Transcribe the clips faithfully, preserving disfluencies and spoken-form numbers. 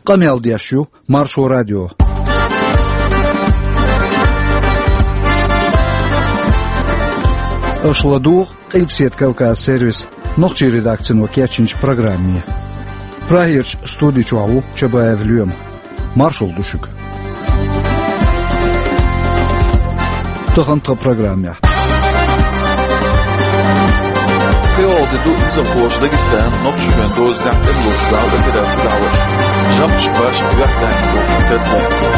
Къамел деш ю Маршо радио. Аша ладугӀу Къилбаседа Кавказ сервисан нохчийн редакцино кечйинчу программе. Прагерчу студи чохь ву Чабаев Лоьма. Маршалла ду шуьга. Тахана тхан программехь. Кхин а де ду низамхоша Дагестанан, Нохчийчоьнан дозанехь тӀемалойн дуьхьал операци дӀахьош. ЖамӀаш башха юьхь даьнна долчух тера лаьцна.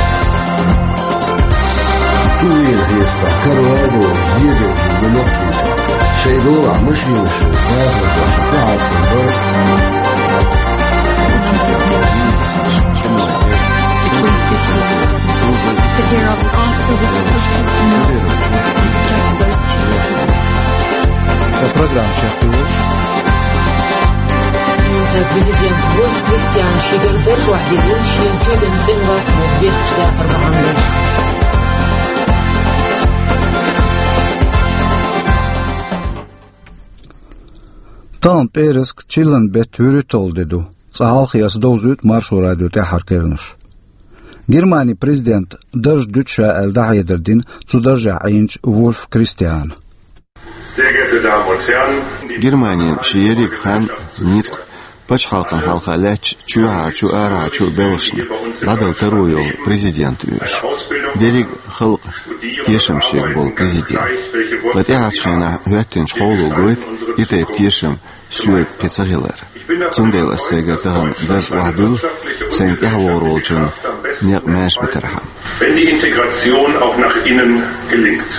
Туйна хьестахь, каравай бохуш, зеделлачу нохчашна, шайн долахь машинаш бахархошна тӀехьа ца бара. Kadyrov's answer was pushed enough. Just those two. Программа чекхйолуш. Президент Вольф Кристиан ши дерг тӀехь ваьхьдина, шен куьйган цӀена вац боху бехкаш дакъар бахьана долуш. Тахана пӀераска, чиллан беттан вуьрхӀитталгӀа де ду. Цкъа хьалхе аса довзуьйту Маршо радион тӀаьххьара керланаш. Германин президентан дарж дуьту ша аьлла дӀахьедар дина цу даржехь Ӏийначу Вольф Кристиана. Sehr geehrte Damen und Herren, Германин шен ерриг хан, ницкъ пачхьалкхан хьалха лаьтташ чоьхьарчу а, арахьарчу а белхашна дӀадала таро йолу президент ву иза. Дерриг а халкъан тешам шега болу президент. Ткъа тӀаьхьарчу хенахь хӀоьттинчу хьоло гойту и тайпа тешам соьга кхин ца хилар. Цундела аса сайгара тахана дарж охьадуьллу, сайна тӀаьхьавогӀур волчун некъ маьрша битархьама. Wenn die Integration auch nach innen gelingt.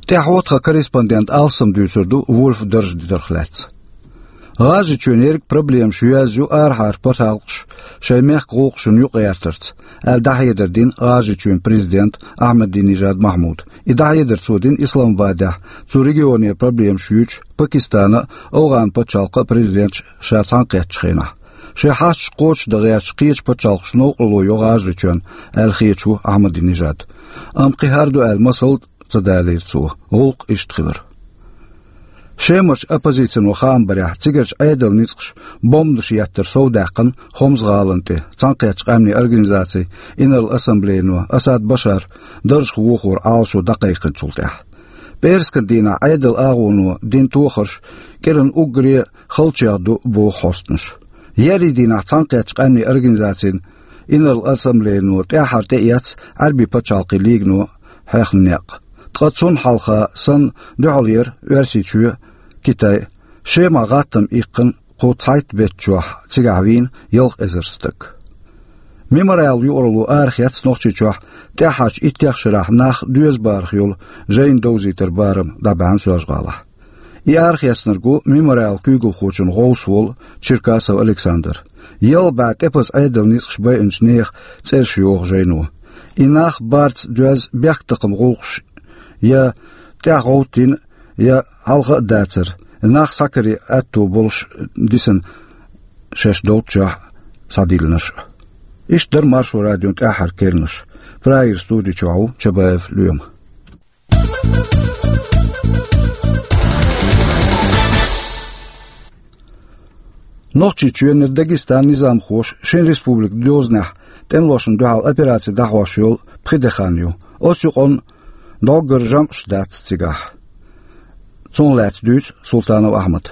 ТӀаьхьо тхан корреспондентан алсам дуьйцур ду Вольф дарж дитарх лаьцна. ГӀажарийчоьнан ерриг проблемаш йоьзна ю арахьара пачхьалкхаша шайн мехкан гӀуллакхашна юкъагӀертарца, аьлла дӀахьедар дина ГӀажарийчоьнан президента Ахьмадинежад Махьмуда. И дӀахьедар цо дина Исламабадехь цу регионера проблемаш юьйцучу Пакистанан а, АфгӀанан пачхьалкхан а президенташа ша цхьаьнакхеттачу хенахь. Шайн хьашташ кхочушдан гӀерташ кхечу пачхьалкхаша новкъарло йо ГӀажарийчоьнна аьлла хеташ ву Ахьмадинежад. Амма кхин хӀара ду аьлла масал ца далийра цо. ГӀуллакх иштта хилира. Шемарчу оппозицино хаам барехь, цигарчу Ӏедалан ницкъаша бомбанаш еттар совдаьккхина Хомс гӀалина тӀе Цхьаьнакхеттачу Къаьмнийн Организацин Инарла Ассамблейно Асад Башаран даржах вохоран Ӏалашо дӀакхайкхинчул тӀаьхьа. ПӀераскан дийнахь Ӏедалан агӀоно дина тохарш кӀиранан уггаре халчех ду боху хьостанаша. Еарин дийнахь Цхьаьнакхеттачу Къаьмнийн Организацин Инарла Ассамблейно тӀаьххьара тӀеэцна Ӏаьрбийн пачхьалкхийн лигано хьехна некъ. Ткъа цунна хьалха санна дуьхьал яра Оьрсийчоь, Китай, Шемахь гӀаттам иккхина кху цхьайтта беттан чохь цигахь вийна ялх эзар стаг. Мемориал юкъаралло арахецна Нохчийчохь тӀаьххьарчу иттех шарахь нах доьза барах йолу жайна довзийтаран барам дӀабаьхьна Соьлжа-ГӀалахь. И арахецнарг ву Мемориалан куьйгалхочун гӀовс волу Черкасов Александр. Ялх бӀе тӀепаза Ӏедалан ницкъаша байинчу нехан цӀераш йоху жайно. И нах барца доьзна бехктакхаман гӀуллакхаш я тӀаьхьа гӀовттийна, я хьалха а дацара, нах схьакаран аьтто болуш дисина шаьш долччохь схьадиллинарш а. Иштта дара Маршо радион тӀаьххьара керланаш. Прагера студи чохь ву Чабаев Лоьма. Нохчийчоьнера Дагестанан низамхоша шина республикан дозанехь тӀемалошна дуьхьал операци дӀахьош йолу пхи де хан ю. Оцу юкъанна доггара жамӀаш дац цигахь. Цунах лаьцна дуьйцу Султанов Ахьмада.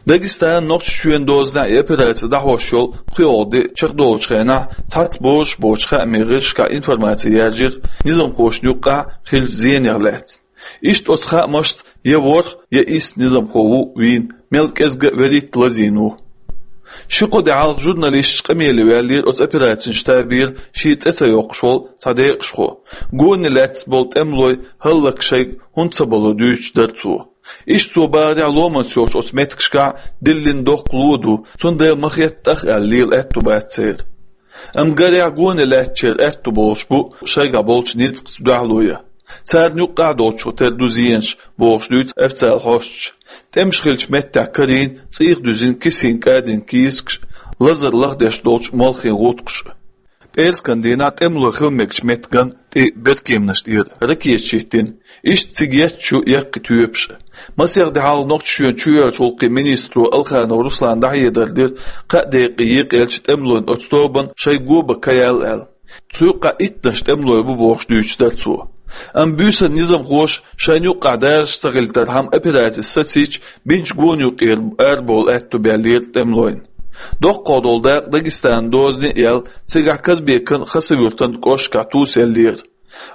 Дагестанан, Нохчийчоьнан дозанехь и операци дӀахьош йолу пхоьалгӀа де чекхдолучу хенахь цхьацца бозуш боцчу хаамийн гӀирсашкахь информаци яржийра низамхошна юккъехь хиллачу зенех лаьцна. Иштта оцу хаамашца я ворхӀ, я исс низамхо ву вийна, мел кӀезга а веритта лазийна ву. Ши-кхо де хьалха журналисташ къамеле ваьллера оцу операцин штабера шен цӀе ца йоккхуш волу цхьа декъашхо. Гоне лаьцна болу тӀемалой хӀаллакьхӀиттийна шайга хӀунда ца бало дуьйцуш дара цо. Иштта цо бахарехь, ломанца йолчу оцу меттигашкахь диллина доккха ло ду, цундела ма хетта тӀах аьлла лела аьтто бац церан. Амма гарехь, гоне лаьцначеран аьтто болуш бу шайгахь болчу ницкъаца дуьхьало ян. Царна юккъехь долчух тера ду зенаш, бохуш дуьйцу официалан хьосташа. ТӀемаш хиллачу меттехь карийна, цӀийх дуьзина кисийна кӀадина кийсакаш, лазар лахдеш долчу молхийн гӀутакхаш. Пӏераскан дийнахь тӏемалой хила мегачу меттиган тӏе беркеманаш тӏера ракеташ йиттина. Иштта цига етташ ю яккхий тоьпаш а. Масех де хьалха Нохчийчоьнан чоьхьарчу гӏуллакхийн министро Алханов Руслана дӏахьедар дира, кхаа декъе екъаелча тӏемалойн оцу тобанна шайн го бан ка яьлла аьлла. Цу юккъехь иттаннаш тӏемалой бу бохуш дуьйцуш дара цо. Амма буьйсанна низамхоша шайна юккъехь дараш ца хилийтархьама операци сацийча, бинчу гонна юкъера арабовла аьтто баьллера тӏемалойн. Доккхах долу дакъа Дагестанна дозане а яьлла, цигахь Казбекан а, Хасавюртан а кӏошкахь тусаеллера.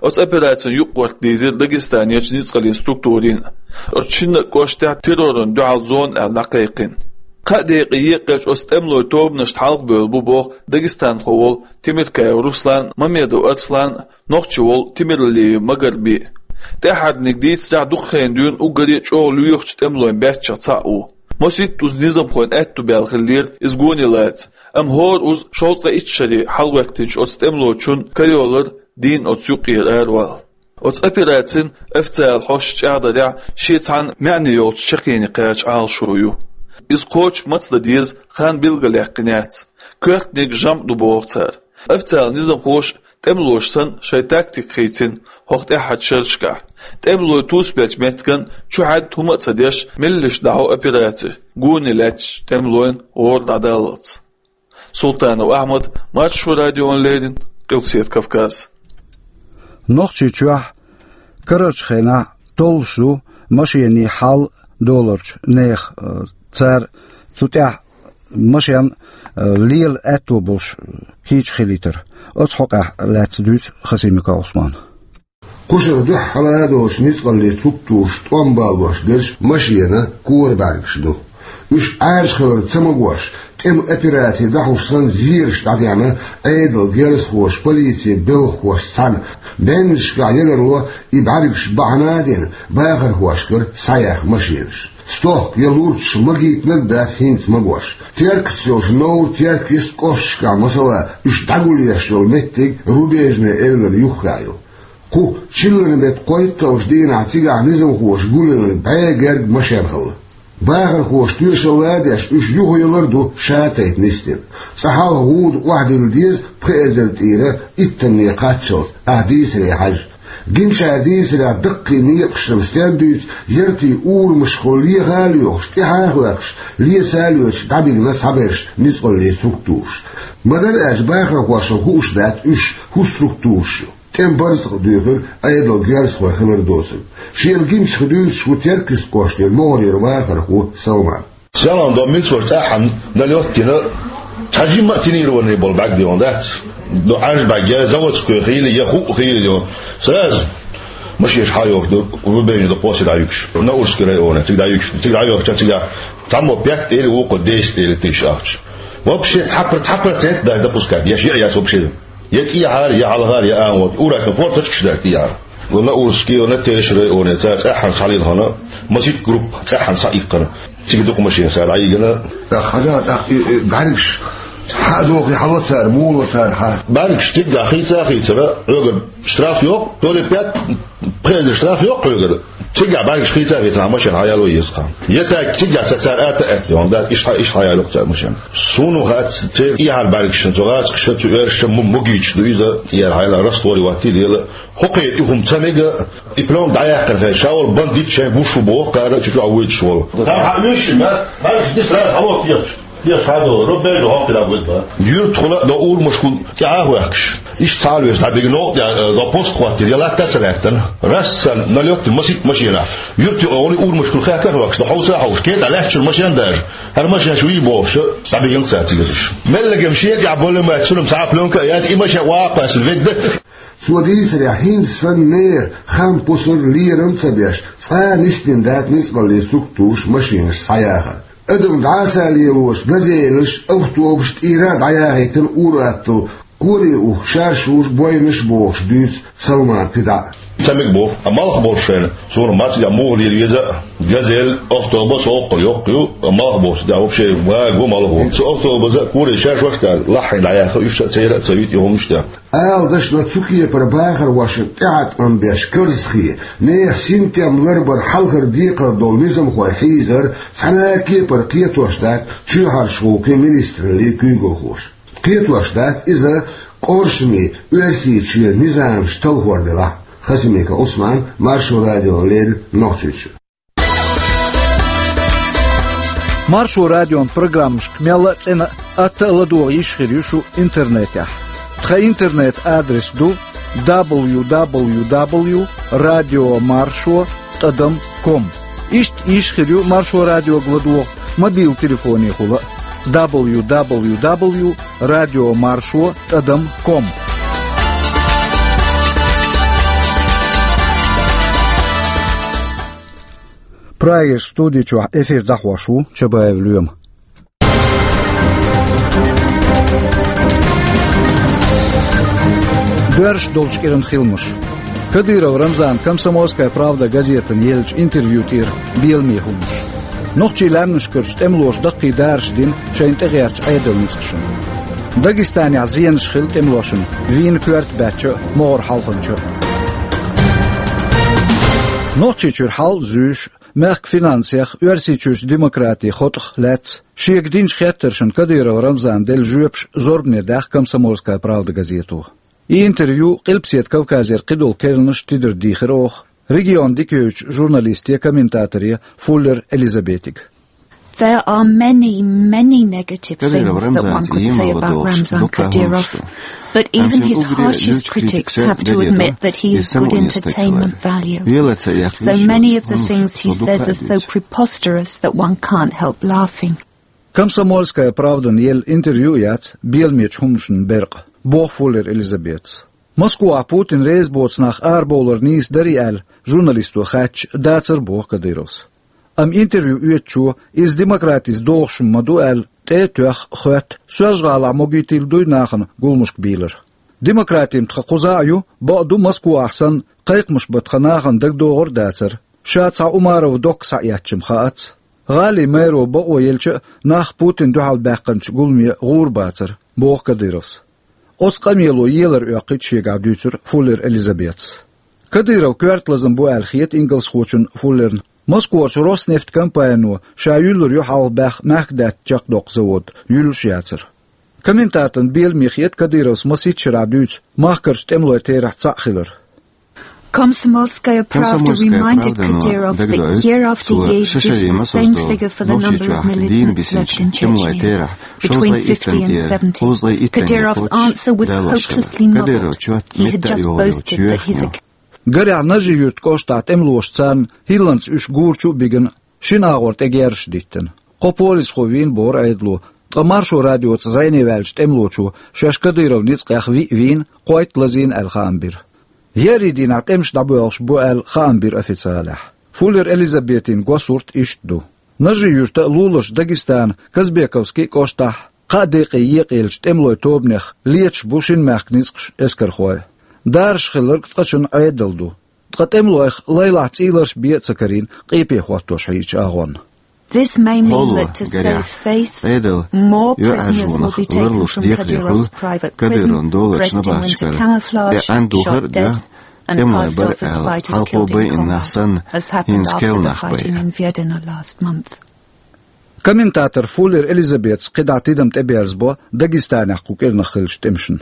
Оцу операцин юкъагӏарта дийзира Дагестанерчу ницкъаллин структурийн а. Оцу шинна а кӏоштехь террорна дуьхьал зона аьлла дӏакхайкхина. Кхаа декъе екъаелча оцу тӏемалойн тобанашна хьалхабевлла бу боху дагестанхо волу Темиркаев Руслан, Мамедов Арслан, нохчи волу Темиралиев Магарби. ТӀаьххьарниг дийцарехь, дукха хенахь дуьйна уггаре а чӀогӀа лоьхучу тӀемалойн баьччех цхьаъ ву. Масийтта уза низамхойн аьтту баьлла хиллера иза гоне лаца, амма хӀора уза шовзткъе итт шаре хьалагӀоьттинчу оцу тӀемалочунна ка йолура дийна оцу юкъера аравала. Оцу операцин официалан хьосташа чӀагӀдарехь, шен цхьана маьӀне йолчу чаккхене кхача Ӏалашо ю. Иза кхочуш маца дан деза, хан билгалъяьккхина яц. Коьртаниг жамӀ ду боху цара. Официалан низамхоша тӀемалоша санна шайн тактика хийцина хӀокху тӀаьххьарчу шерашкахь. ТӀемалой тусабеллачу меттиган чу хьаьдда хӀума а ца деш, меллаша дӀахьо операци, гоне лаьттачу тӀемалойн гӀора дӀадаллалц. Султанов Ахьмад, Маршо радиона леррина, Къилбаседа Кавказ. Нохчийчохь карарчу хенахь толлуш ду машенийн хьал долорчу нехан, э, цара цу тӀехь машен, э, лела аьтто болуш кийча хилийтар. Оцу хьокъехь лаьцна дуьйцу Хасимиков Ӏусмана. Кхушара дуьххьара долчу ницкъаллин структураш тӀом балош дерш машенан кора бӀаьргаш ду. Уьш Ӏаьржа хилар ца магош, тӀеман операци дӀахьуш санна зераш дӀадеана Ӏедалан герзахоша, полицин белхахошца цхьаьна. Беннашкахь ягарло и бӀаьргаш бахьана а дина, бахархошкара схьаяьхна машенаш. Стохка я лурчаш магийтинарг а дац хӀинца магош. Теркаца йолчу Новр-Теркйист кӀошташкахь, масала, уьш дӀагулъеш йолу меттиг Рубежный эвлара юххехь ю. Кху чиллан беттан кхойтталгӀачу дийнахь цигахь низамхоша гулъелларг бӀе гергга машен хилла. Бахархоша тоьшалла а деш, уьш юхаялар а ду ша тайпа нисдина. Цкъа хьалха гӀуда охьадилла деза пхи эзар тӀера иттанне кхаччалц, ахь дийцаре хьаьжжа. Гиначара дийцарехь, даккхий некъашна стен дуьйцу, яртийн урамашха леха а лоьхуш, тӀаьхьа а хӀоьттуш, леца а лоьцуш дӀабигна цхьаберш ницкъаллин структураш. Ма-дарра аьлча, бахархошна хууш дац уьш хӀун структураш ю. ТӀеман барзакъ а дуьйхира Ӏедалан герзахой хилар доцург. Шена гиначух дуьйцуш ву Теркйист кӀоштара могӀарера вахархо Салман. Салам, до милицоша тӀаьххьана налёт дина, цхьа жимма а тонированный болу бӀаьрг дина дац. До Ӏаьржа бӀаьрг я заводской хили, я хӀуъа хили ю. Сразу машенаш хьайохуш ду, Рубежный до кхоссий дӀаюьгуш. Наурский районе, цига дӀаюьгуш. Цига дӀайохуча, цига цхьаммо пять или вукхо десять или тысяч ахча. Вообще цхьа пр-, цхьа процент даже допускать, я шиъ яц вообще. Я тӀехьара, я хьалхара, я ан вот. Ура, комфорт точка шдать тӀехьара. Вон на Урский, вон на Тереш районе, цара цӀеххьана схьалийна хана, масийтта группа цӀеххьана схьаиккхина. Цига дукха машина сара дӀайигина. ТӀаккха хьажа, тӀаккха и, и, бӀаьргаш хьа а дохий, хьало цара, муха ло цара хьа. БӀаьргаш цигахь хийца а хийцара, хьоьгара штраф йоккху, то ли пять, пхи эзар штраф йоккху хьоьгара. Цигахь бӀаьргаш хийца а хийцара, машина хьаяло еза кхана. Я цаьрга цигахь ца цара ата а аьтта, дан дац, иштта хьа-, иштта хьаяло цара машина. Суна хац, церан тӀехьара бӀаьргашна, цу гӀазкхаша, цу оьрсаша ма-, магийча ду иза, тӀера хьайла раствор ваттийла ела. ХӀокхе и хӀума ца мега, и плёнка дӀаяьккхина хай, ша волу бандит шайн гуш ву боху, кхара чу чохь вуьйцуш волу. Там хьан уьш ма, хьан уьш дисра хьало кхеташ. Кхеташ хьадо, ро бежу хьо кхира вуьйцу ба. Юьртахула до урамашкахула тӀаьхьа а хӀоьхкуш. Иштта цхьа а веш, дӀабига новкъа тӀе, э, до пост хӀоттийра, я латта а ца лаьттана. Рассал налёт масийтта машина. Юьртахула олу урамашкахула хаьхка а хӀоьхкуш, до хьовса а хьовш, кхета лаьттачуьра машен даже. ХӀара машен шу вий бохуш, дӀабигина цара цига уьш. Меллагем шен тӀехь болу ма, цунам цхьа а плёнка а яц, и машен ваккха ас ведда. Цо дийцарехь, хӀинца санна нехан хам пусар, лерам а ца беш, цкъа а нисдина дац ницкъаллин структураша машинаш схьаяхар. Адам дӀаса а лелош, газелаш, автобусаш тӀера а дӀаяхийтина ур-атталла, кхоре а уху, шаршу а, бойнаш а бохуш дуьйцу Салмана кхидӀа. Ца мега боху, а малх болуш шайна, суна маццигахь муха лела веза а, газель, автобус, хӀокхул йоккха ю, а малх болуш, да, вообще, вага ву малх ву. Цу автобуса а, кхоре а шаршошка лаххьийна дӀаяьхна, уьш а церан а ца вита, и хӀумнаш тӀехь. Ала дашна, цу кепара бахархошна тӀеӀаткъам беш карзахе, нехан синтем ларбар хьалхара декхар долу низамхой хьийзар цхьана а кепара кхетош дац чоьхьарчу гӀуллакхийн министраллин куьйгалхоша. Кхетош дац иза Къуршаме Оьрсийчоь низамаш талхор делахь, Хасимиков Ӏусман, Маршо радиона леррина Нохчийчуьра. Маршо радион программашка мелла а цӀена а, атта а ладогӀа йиш хир ю шу интернетехь. Тхан интернет-адрес ду: дабл ю дабл ю дабл ю радио маршо тӀадам ком. Иштта йиш хир ю Маршо радиога ладогӀа мобил телефонехула а: дабл ю дабл ю дабл ю радио маршо тӀадам ком. Прагерчу студи чохь эфир дӀахьош ву Чабаев Лоьма. Доьрзуш долчу кӀиран хиламаш. Кадыров Рамзана «Комсомольская правда» газетана еллачу интервью тӀера беламе хӀуманаш. Нохчийн лаьмнашкарчу тӀемалоша даккхий дараш дина шайна тӀегӀертачу Ӏедалан ницкъашна. Дагестанехь зенаш хилла тӀемалошна вийна коьрта баьчча а, могӀара хьалханча а. Нохчийчуьра хьал а зуьйш, мехкан финансех, Оьрсийчуьрчу демократин хотӀах лаьцна шега динчу хеттаршна Кадыров Рамзана делла жоьпаш зорбане даьхна «Комсомольская правда» газето. И интервью Къилбаседа Кавказера кхидолу керланаш тидар дийхира оха, регион дика йойтучу журналисте, комментаторе Фуллер Элизабетига. There are many, many negative things that one could say about Ramzan Kadyrov, but even his harshest critics have to admit that he is good entertainment value. So many of the things he says are so preposterous that one can't help laughing. «Комсомольская правдана» елла интервью а яц беламечу хӀуманашна беркъа, боху Фуллер Элизабетас. Москвахь Путин реза боцу нах арабовлар нийса дарий аьлла, журналисто хаьттича, дацара, боху Кадыровс. Амма интервью оьцучо иза демократица догӀуш ма ду аьлла, тӀе а тоьхна, хоьтту, Соьлжа-ГӀалахь могуьйтийла дуй нахана гуламашка бийлар. Демократина тхан кхузахь а ю, бакъду, Москвахь санна, кхайкхамаш бан тхан нахана дагадогӀур а дацара. Ша цхьа Умаров Докка схьаэцча-м хаац. ГӀалин мэро бакъо елча а, нах Путинна дуьхьал баьккхинчу гуламе гӀур бацара, боху Кадыровс. Оцу къамело елар оьккхуьйту шегахь, дуьйцура Фуллер Элизабетас. Кадыров коьрта лазам бу аьлла хета ингалсхочунна Фуллерна. Москварчу «Роснефть» компанино ша юьллур ю хьалха баьхна мехкадаьтта чекхдоккху завод, юьллуш яцара. Комментаторна беламе хета Кадыровс масийтта шарахь дуьйцу махкарчу тӀемалойн терахь цхьаъ хилар. «Комсомольская правда» reminded Kadyrov that year after year gives the same figure for the number of militants left in Chechnya, between fifty and seventy. Kadyrov's answer was hopelessly muddled. He had just boasted that he's a Гарехь, Нажи-Юьртан кӀоштахь тӀемалоша царна хӀилланца уьш гурчу а бигина, шина агӀор тӀе герзаш диттина. Кхо полисхо вийна, бохура Ӏедало, ткъа Маршо радиоца зӀене ваьллачу тӀемалочо шаьш Кадыровн ницкъех виъ вийна, кхойтта лазийна аьлла хаам бира. Еарин дийнахь тӀемаш дӀабоьлхуш бу аьлла хаам бира официалехь. Фуллер Элизабетин госсурд иштта ду. Нажи-Юьрта а, луларчу Дагестана Казбековский кӀоштахь кхаа декъе екъаеллачу тӀемалойн тобанех леташ бу шина мехкан ницкъаш, эскархой. Дараш хилларг цкъачунна Ӏедал ду. Ткъа тӀемалойх лайлахь цӀийларш бен а ца карийна, къепе хӀоттош хьийзачу агӀонна. This may mean that to save face, more prisoners will be taken from Kadyrov's private prison, dressed in winter camouflage, shot dead, and a past office fighter's killed in combat, as happened after the fighting in Vedeno last month. Комментатор Фуллер Элизабетас кхидӀа тидам тӀеберзабо Дагестанехь кху кӀирнах хиллачу тӀемашна.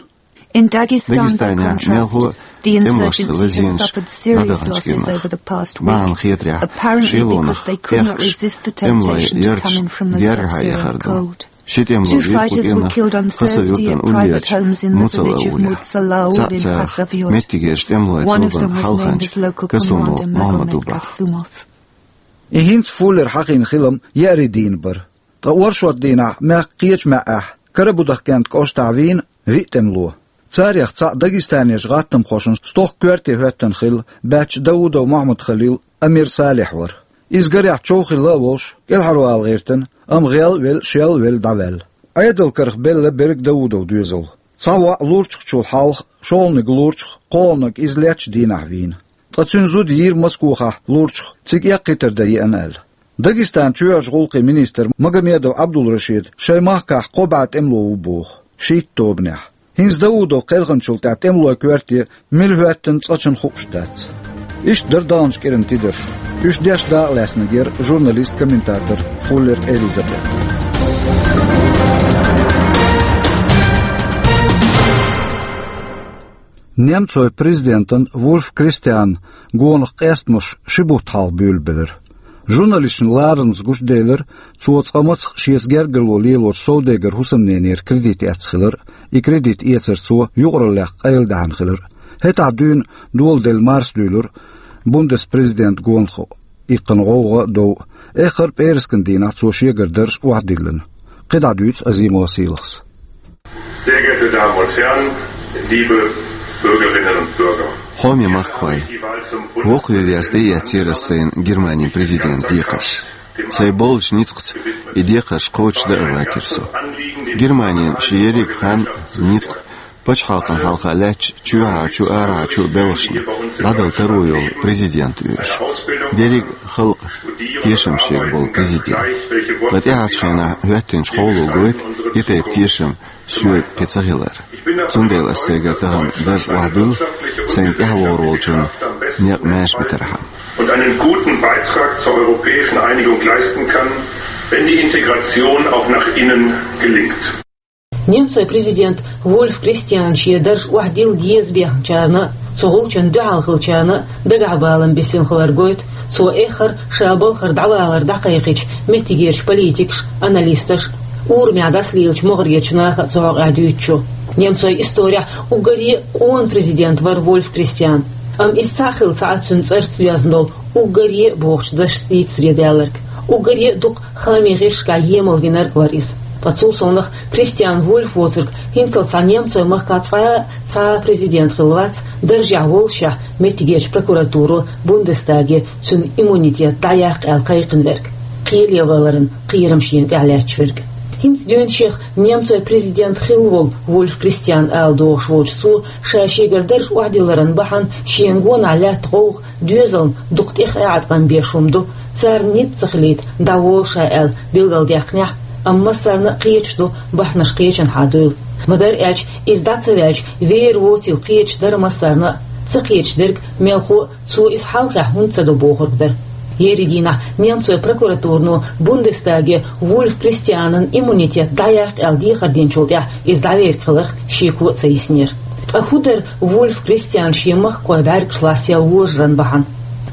In Dagestan, by contrast, the insurgency has suffered serious losses over the past week, apparently because they could not resist the temptation to come in from the sub-Syrian cold. Two fighters were killed on Thursday at private homes in the village of Mutsalaul in Khasavюрт. One of them was named as local commander Magomed Kasumov. И хӀинца Фуллера хьахийна хилам еарин дийнахь бара. Ткъа оршот дийнахь мехкан кхечу маьӀӀехь, Карабудахкент кӀоштахь вийна виъ тӀемало. Царех цхьаъ дагестанерчу гӀаттамхошна стохка коьрте хӀоьттина хилла баьчча Даудов Мохьмад-Халил, Амир Салихь вара. Иза гарехь чов хилла а волуш, кӀелхьарвала гӀиртина, амма гӀел а велла, шел а велла дӀаваьлла. Ӏедал карах белла берриг Даудов доьзал. Цхьа воӀ лурчахчул хьалха, шолгӀаниг лурчах, кхоалгӀаниг иза леттачу дийнахь вийна. Ткъа цуьнан зуда йийра Москохахь лурчах, цига эккхийтар дан еана аьлла. Дагестанан чоьхьарчу гӀуллакхийн министр Магомедов Ӏабдулрашид шайн махкахь кхо бӀе тӀемало ву боху, шийтта тобанехь. ХӀинца Даудов кхелхинчул тӀаьхьа тӀемалойн коьрте мила хӀоьттина цкъачунна хууш дац. Иштта дара даханчу кӀиран тидарш. Уьш деш дакъалаьцнарг яра журналист-комментатор Фуллер Элизабет. Немцойн президентан Вульф Кристиан гонах къестамаш ши бутт хьалха буьйлабелира. Журналисташна ларамза гучаделира, цо цкъа мацах шеца гергарло лелочу совдегара хӀусамненера кредит эцна хилар, и кредит эцар цо юкъараллех къайладаьхьна хилар. ХӀетахь дуьйна доладелла марса дуьйлура бундеспрезидент гонахо иккхина гӀовгӀа а, дов а. Эххар а пӀераскан дийнахь цо шегара дарж охьадиллина. КхидӀа дуьйцу Азимова Сийлахьас. Sehr geehrte Damen und Herren, liebe Bürgerinnen und Bürger. Хьоме махкахой, вокхаве веза тӀеэцнера ас сайна Германин президент декхарш. Сайн болчу ницкъаца и декхарш кхочушдан а вакира со. Германин шен ерриг хан, ницкъ, пачхьалкхан хьалха лаьттачу, чоьхьарчу, арахьарчу белхашна дӀадала таро йолу президент ву аш. Дерриг а халкъан тешам шега болу президент. Ткъа тӀаьхьарчу хенахь хӀоьттинчу хьоло гойту и тайпа тешам соьга кхин ца хилар. Цундела ас сайгара тахана дарж охьадуьллу, сайна тӀаьхьавогӀур волчунна некъ маьрша битархьама. Und einen guten Beitrag zur europäischen Einigung leisten kann, wenn die Integration auch nach innen gelingt. Немцойн президент Вульф Кристиан шен дарж охьадилла деза бехначарна а, цу гӀулчунна дуьхьал хиллачарна а дагахь балам бисина хилар гойту цо эххар а ша балхара дӀавалар дӀакхайкхийчу меттигерчу политикаша, аналисташа, урамехь дӀасалелачу могӀарерчу наха а цу хьокъехь дуьйцучу. Немцойн исторехь уггаре а къона президент вара Вульф Кристиан. Амма иза цхьаъ хилла ца Ӏа цуьнан цӀарца доьзна долу уггаре а бохучу дашца дийцаре даьлларг, уггаре а дукха хаамийн гӀирсашкахь емал винарг вара иза. Ткъа цул совнаха Кристиан Вульф воцург хӀинццалц цхьа немцойн махкахь цкъа а цхьа а президент хилла вац, даржехь воллушехь, меттигерчу прокуратуро Бундестаге цуьнан иммунитет дӀаяккха аьлла кхайкхина верг, кхеле валаран кхерам шена тӀехь лаьтташ верг. ХӀинца дуьйна шех немцойн президент хилла волу Вульф Кристиан ала догӀуш волчу цо ша шегара дарж охьадилларан бахьана шена гонахь лаьтта гӀовгӀа доьзална дукха тӀех а Ӏаткъам беш хӀума ду, царна ницкъ ца хилийта дӀаволу ша аьлла билгалдаьккхинехь, амма массарна а кхеташ ду бахьанаш кхечанхьа дуйла. Ма-дарра аьлча, иза дӀа ца ваьлча, вер воцийла кхеташ дара массарна а, ца кхеташ дерг мелхо а цо иза хьалхахь хӀунда ца до бохург дара. Ерригийнахь немцойн прокуратурано Бундестаге Вульф Кристианан иммунитет дӀаяккха аьлла дехар динчул тӀаьхьа иза дӀаверг хиларх шеко а ца йиснера. Ткъа хӀун дара Вульф Кристиан шен махкахой бӀаьргаш лассаяла вожаран бахьана?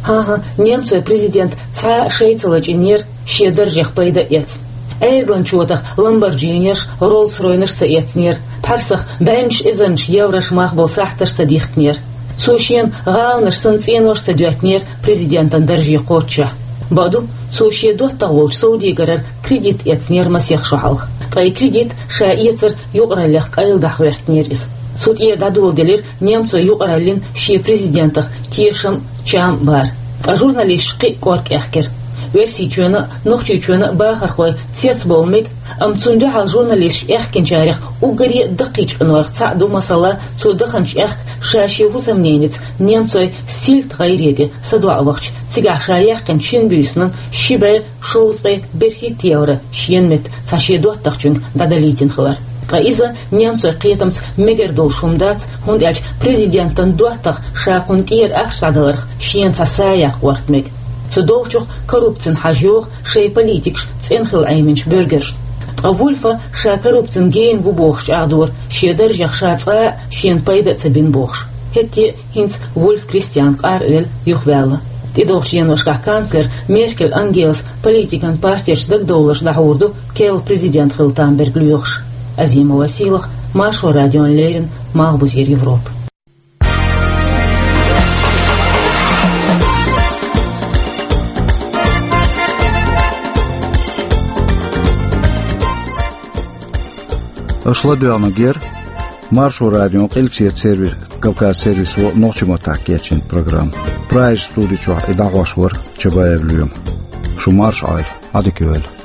ХӀан-хӀа, немцойн президент цхьа а шай ца лачкъийнера шен даржех пайда а эцна. Ӏедалан чотах ламборджинеш, Роллс-Ройнаш ца эцнера, пхьарсах бӀеннаш эзарнаш еврош мах болу сахьташ ца дихкинера. Цо шена гӀаланаш санна цӀенош ца доьттинера президентан дарже кхоччехь. Бакъду, цо шен доттагӀа волчу совдегарера кредит эцнера масех шо хьалха. Ткъа и кредит ша эцар юкъараллех къайладахьа гӀоьртинера иза. Цу тӀера дӀадоладелира немцойн юкъараллин шен президентах тешам а, чам а бар. Ткъа журналисташ кхин а кӀорга кӀехкира. Оьрсийчоьнан а, Нохчийчоьнан а бахархой цецбовла мега, амма цунна дуьхьал журналисташ аьхкинчарех уггаре а даккхийчу къинойх цхьаъ ду, масала, цо даханчу аьхка ша шен хӀусамненица немцойн сильт гӀайре тӀе садоӀа вахча, цигахь ша яьккхинчу шина буьйсанан ши бӀе шовзткъе берхӀитта евро шена метта цхьа шен доттагӀчуьнга дӀадалийтина хилар. Ткъа иза немцойн кхетамца мегар долуш хӀума дац, хӀунда аьлча президентан доттагӀа ша кхунна тӀера ахча дӀадаларх шена цхьа са яккха гӀорта мега. Цу долчух коррупцина хьажа йогӀу шайн политикаш цӀена хила Ӏеминчу буьргаршна. Ткъа Вульфа ша коррупцин гена ву бохуш чӀагӀдора, шен даржех ша цкъа а шена пайда а ца бина бохуш. ХӀетте а хӀинца Вульф Кристиан къар а велла юхаваьлла. ТӀедогӀучу деношкахь канцлер Меркель Ангелас политикан партеш дагадовларш дӀахьур ду керла президент хила там берг лоьхуш. Азимова Сийлахь, Маршо радиона леррина, Малхбузера Европа. Аша ладоьгӀнарг яра Маршо радион къилбаседа сервис, Кавказ сервисо нохчийн маттахь кечйина программа. Прагерчу студи чохь и дӀахьош вара Чабаев Лоьма. Шу марша Ӏойла, Ӏадика йойла.